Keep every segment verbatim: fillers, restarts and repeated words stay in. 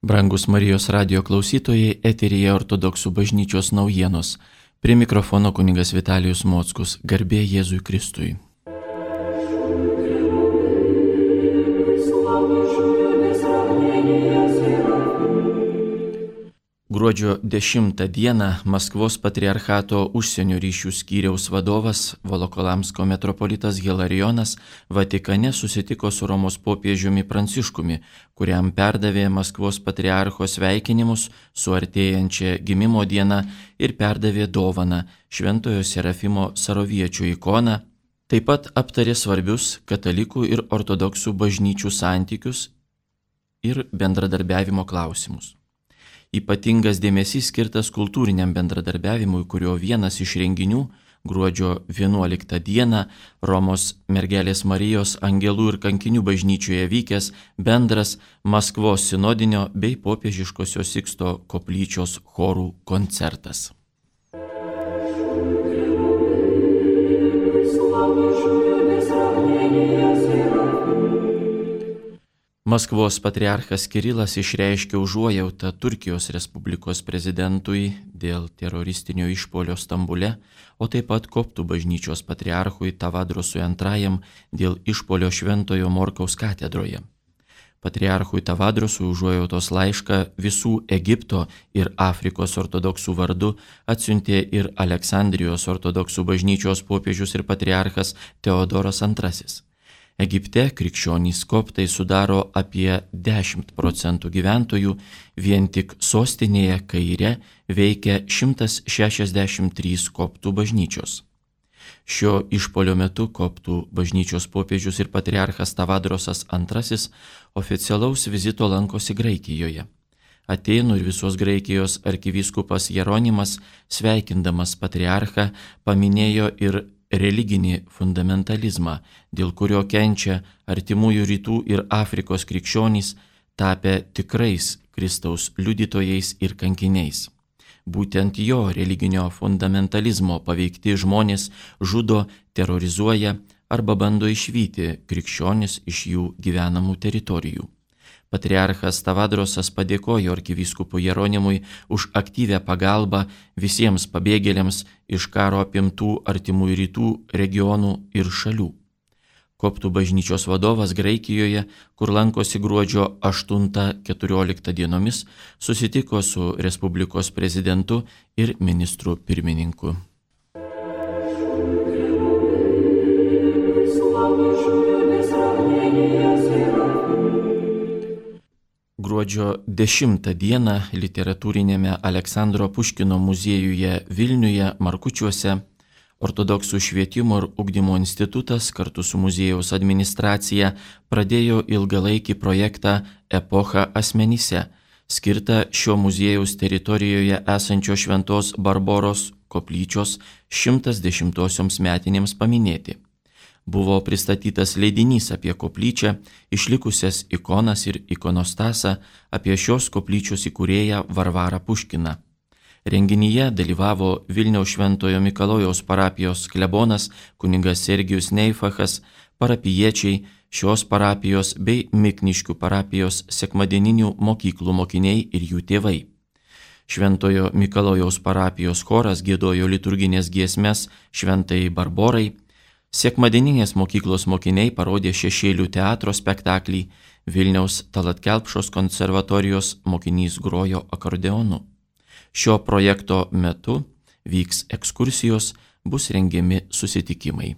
Brangus Marijos radijo klausytojai, eteryje Ortodoksų bažnyčios naujienos. Prie mikrofono kunigas Vitalijus Mockus. Garbė Jėzui Kristui. Gruodžio dešimtą dieną Maskvos patriarchato užsienio ryšių skyriaus vadovas Volokolamsko metropolitas Hilarijonas Vatikane susitiko su Romos popiežiumi Pranciškumi, kuriam perdavė Maskvos patriarcho sveikinimus su artėjančia gimimo diena ir perdavė dovaną Šventojo Serafimo Saroviečio ikoną. Taip pat aptarė svarbius katalikų ir ortodoksų bažnyčių santykius ir bendradarbiavimo klausimus. Ypatingas dėmesys skirtas kultūriniam bendradarbiavimui, kurio vienas iš renginių gruodžio vienuoliktą dieną Romos mergelės Marijos angelų ir kankinių bažnyčioje vykęs bendras Maskvos sinodinio bei popiežiškosios Siksto koplyčios chorų koncertas. Maskvos patriarchas Kirilas išreiškė užuojautą Turkijos Respublikos prezidentui dėl teroristinio išpuolio Stambule, o taip pat koptų bažnyčios patriarchui Tavadrosui antrajam dėl išpuolio Šventojo Morkaus katedroje. Patriarchui Tavadrosui užuojautos laišką visų Egipto ir Afrikos ortodoksų vardu atsiuntė ir Aleksandrijos ortodoksų bažnyčios popiežius ir patriarchas Teodoras antrasis. Egipte krikščionys koptai sudaro apie dešimt procentų gyventojų, vien tik sostinėje Kaire veikia šimtas šešiasdešimt trys koptų bažnyčios. Šio išpuolio metu koptų bažnyčios popiežius ir patriarchas Tavadrosas antrasis oficialaus vizito lankosi Graikijoje. Atėnų ir visos Graikijos arkivyskupas Jeronimas, sveikindamas patriarchą, paminėjo ir religinį fundamentalizmą, dėl kurio kenčia artimųjų rytų ir Afrikos krikščionys, tapę tikrais Kristaus liudytojais ir kankiniais. Būtent jo religinio fundamentalizmo paveikti žmonės žudo, terorizuoja arba bando išvyti krikščionis iš jų gyvenamų teritorijų. Patriarchas Tavadrosas padėkojo arkivyskupui Jeronimui už aktyvią pagalbą visiems pabėgėliams iš karo apimtų artimųjų rytų regionų ir šalių. Koptų bažnyčios vadovas Graikijoje, kur lankosi gruodžio aštuntą keturioliktą dienomis, susitiko su Respublikos prezidentu ir ministru pirmininku. Gruodžio dešimtą dieną literatūrinėme Aleksandro Puškino muziejuje Vilniuje Markučiuose Ortodoksų švietimo ir ugdymo institutas kartu su muziejaus administracija pradėjo ilgalaikį projektą Epocha asmenyse, skirtą šio muziejaus teritorijoje esančio Šventos Barboros koplyčios šimtas dešimtosioms metinėms paminėti. Buvo pristatytas leidinys apie koplyčią, išlikusias ikonas ir ikonostasą, apie šios koplyčios įkūrėją Varvarą Puškiną. Renginyje dalyvavo Vilniaus Šventojo Mikalojaus parapijos klebonas kunigas Sergijus Neifachas, parapijiečiai, šios parapijos bei Mikniškių parapijos sekmadieninių mokyklų mokiniai ir jų tėvai. Šventojo Mikalojaus parapijos choras giedojo liturginės giesmes Šventai Barborai. Sekmadieninės mokyklos mokiniai parodė Šešėlių teatro spektaklį, Vilniaus Tallat Kelpšos konservatorijos mokinys grojo akordeonu. Šio projekto metu vyks ekskursijos, bus rengiami susitikimai.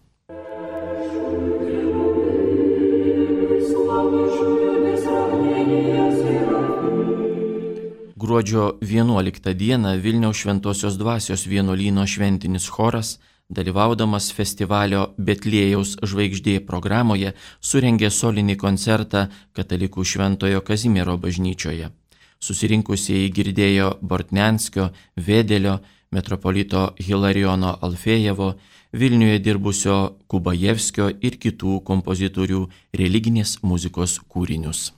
Gruodžio vienuoliktą dieną Vilniaus Šventosios Dvasios vienuolyno šventinis choras, dalyvaudamas festivalio Betliejaus žvaigždė programoje, surengė solinį koncertą Katalikų Šventojo Kazimiero bažnyčioje. Susirinkusieji girdėjo Bortnenskio, Vėdelio, metropolito Hilarijono Alfėjevo, Vilniuje dirbusio Kubajevskio ir kitų kompozitorių religinės muzikos kūrinius.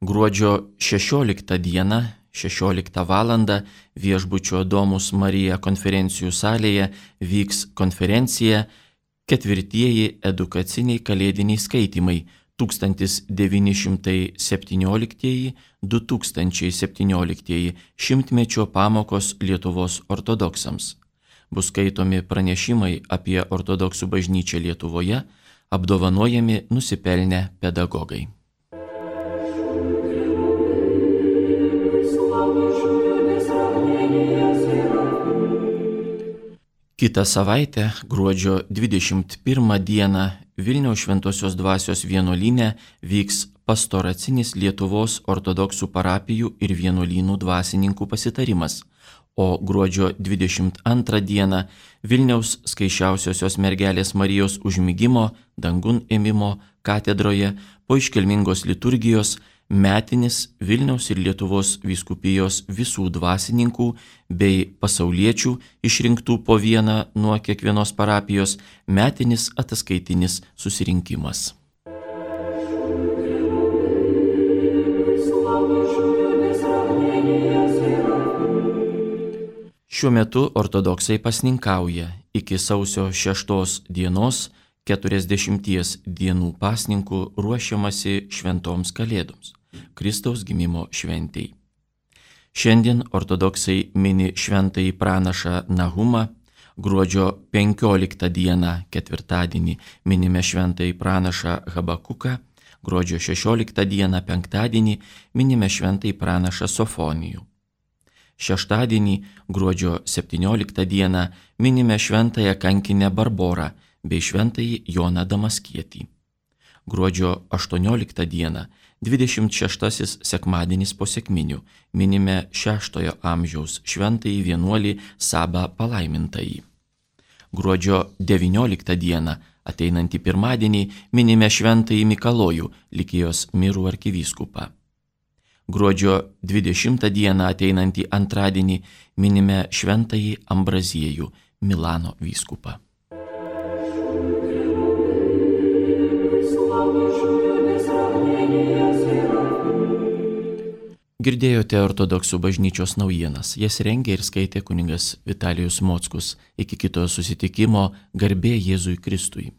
Gruodžio šešioliktą dieną, šešioliktą valandą viešbučio Domus Marija konferencijų salėje vyks konferencija ketvirtieji edukaciniai kalėdiniai skaitymai tūkstantis devyni šimtai septynioliktieji - du tūkstančiai septynioliktieji šimtmečio pamokos Lietuvos ortodoksams. Bus skaitomi pranešimai apie ortodoksų bažnyčią Lietuvoje, apdovanojami nusipelnę pedagogai. Kitą savaitę, gruodžio dvidešimt pirmą dieną, Vilniaus Šventosios Dvasios vienuolyne vyks pastoracinis Lietuvos ortodoksų parapijų ir vienuolynų dvasininkų pasitarimas, o gruodžio dvidešimt antrą dieną Vilniaus Skaisčiausiosios mergelės Marijos užmigimo dangun ėmimo katedroje po iškilmingos liturgijos metinis Vilniaus ir Lietuvos vyskupijos visų dvasininkų bei pasauliečių išrinktų po vieną nuo kiekvienos parapijos metinis ataskaitinis susirinkimas. Šiuo metu ortodoksai pasninkauja iki sausio šeštos dienos keturiasdešimties dienų pasninkų ruošiamasi šventoms kalėdoms, Kristaus gimimo šventei. Šiandien ortodoksai mini šventąjį pranašą Nahumą, gruodžio penkioliktą dieną ketvirtadienį minime šventąjį pranašą Habakuką, gruodžio šešioliktą dieną penktadienį minime šventąjį pranašą Sofonijų. Šeštadienį, gruodžio septynioliktą dieną minime šventąją kankinę Barborą bei šventąjį Joną Damaskietį. Gruodžio aštuonioliktą dieną, dvidešimt šeštasis sekmadienis po sekminių, minime šeštojo amžiaus šventąjį vienuolį Sabą Palaimintąjį. Gruodžio devynioliktą dieną, ateinantį pirmadienį, minime šventąjį Mikalojų, Likijos mirų arkivyskupą. Gruodžio dvidešimtą dieną, ateinantį antradienį, minime šventąjį Ambraziejų, Milano vyskupą. Girdėjote ortodoksų bažnyčios naujienas, jas rengė ir skaitė kunigas Vitalijus Mockus. Iki kito susitikimo, garbė Jėzui Kristui.